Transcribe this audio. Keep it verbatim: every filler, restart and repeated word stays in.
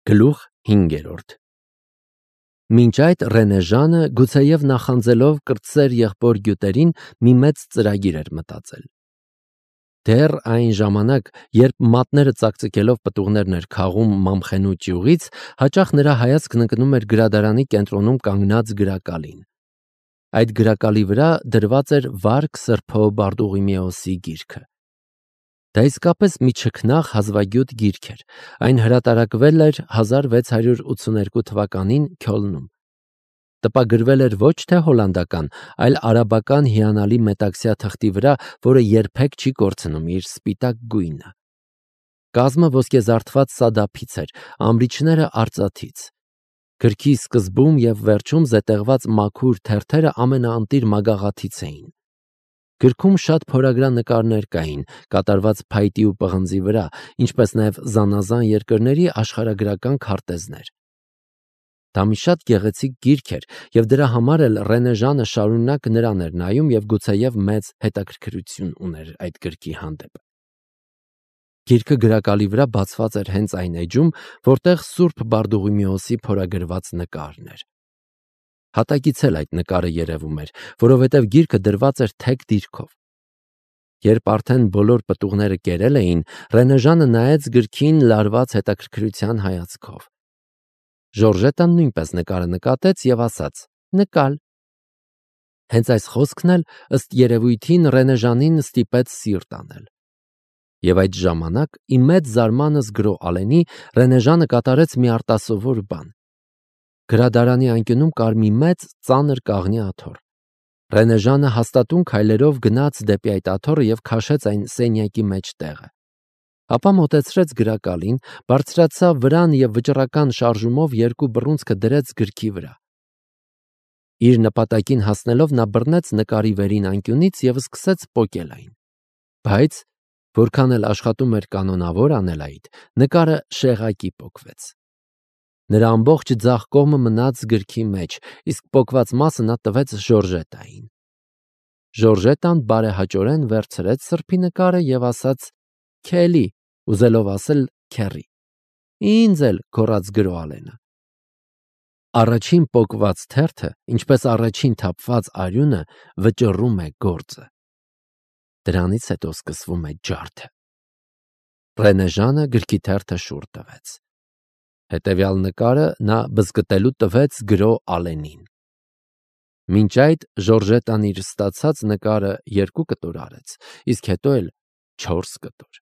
Գլուխ հինգերորդ Մինչ այդ Ռենեժանը, գուցեև նախանձելով կրտսեր եղբոր գյուտերին, մի մեծ ծրագիր էր մտածել։ Դեռ այն ժամանակ, երբ մատները ծակծկելով պտուղներն էր քաղում Մամխենու ճյուղից, հաճախ նրա հայացքն ընկնում էր գրադարանի կենտրոնում կանգնած գրակալին։ Այդ գրակալի վրա դրված էր Վարք Սրբո Բարդուղիմեոսի գիրքը։ Դա իսկապես մի չքնաղ հազվագյուտ գիրք էր, այն հրատարակվել էր հազար վեց հարյուր ութսուներկու թվականին Քյոլնում։ Տպագրվել էր ոչ թե հոլանդական, այլ արաբական հիանալի մետաքսյա թղթի վրա, որը երբեք չի կորցնում իր սպիտակ գույնը։ Կազմը ոսկեզարդված սադափից էր, ամրիչները արծաթից։ Գրքի սկզբում և վերջում զետեղված մաքուր թերթերը ամենաընտիր մագաղաթից էին։ Գրքում շատ փորագրան նկարներ կային, կատարված փայտի ու պղնձի վրա, ինչպես նաև զանազան երկրների աշխարհագրական քարտեզներ։ Դա մի շատ գեղեցիկ գիրք էր, և դրա համար էլ Ռենեժանը շարունակ նրան էր նայում և գուցեև մեծ հետաքրքրություն ուներ այդ գրքի հանդեպ։ Գիրքը գրակալի վրա բացված էր հենց այն էջում, որտեղ Սուրբ Բարդուղիմեոսի փորագրված նկարն էր։ Հատակից էլ այդ նկարը երևում էր, որովհետև գիրքը դրված էր թեք դիրքով։ Երբ արդեն բոլոր պտուղները կերել էին, Ռենեժանը նայեց գրքին լարված հետաքրքրության հայացքով։ Ժորժետան նույնպես նկարը նկատեց և ասաց. «Նկալ»։ Հենց այս խոսքն էլ ըստ երևույթին Ռենեժանին ստիպեց սիրտ անել։ Եվ այդ ժամանակ, ի մեծ զարմանս գրո Ալենի, Ռենեժանը կատարեց մի արտասովոր բան։ Գրադարանի անկյունում կար մի մեծ ծանր կաղնի աթոռ։ Ռենեժանը հաստատուն քայլերով գնաց դեպի այդ աթոռը և քաշեց այն սենյակի մեջ տեղը։ Ապա մոտեցրեց գրակալին, բարձրացավ վրան և վճռական շարժումով երկու բռունցքը դրեց գրքի վրա։ Իր նպատակին հասնելով նա բռնեց նկարի վերին անկյունից և սկսեց պոկել այն։ Բայց, որքան էլ աշխատում էր կանոնավոր անել այդ, նկարը շեղակի պոկվեց։ Նրա ամբողջ ձախ կողմը մնաց գրքի մեջ, իսկ պոկված մասը նա տվեց Ժորժետային։ Ժորժետան բարեհաճորեն վերցրեց սրբի նկարը և ասաց. «Քելի», ուզելով ասել քեռի։ «Ինձ էլ», գոռաց գրո Ալենը։ Առաջին պոկված թերթը, ինչպես առաջին թափված արյունը, վճռում է գործը։ Դրանից հետո սկսվում է ջարդը։ Ռենեժանը գրքի թերթը շուռ տվեց։ Հետևյալ նկարը նա բզկտելու տվեց գրո Ալենին։ Մինչ այդ Ժորժետան իր ստացած նկարը երկու կտոր արեց, իսկ հետո էլ չորս կտոր։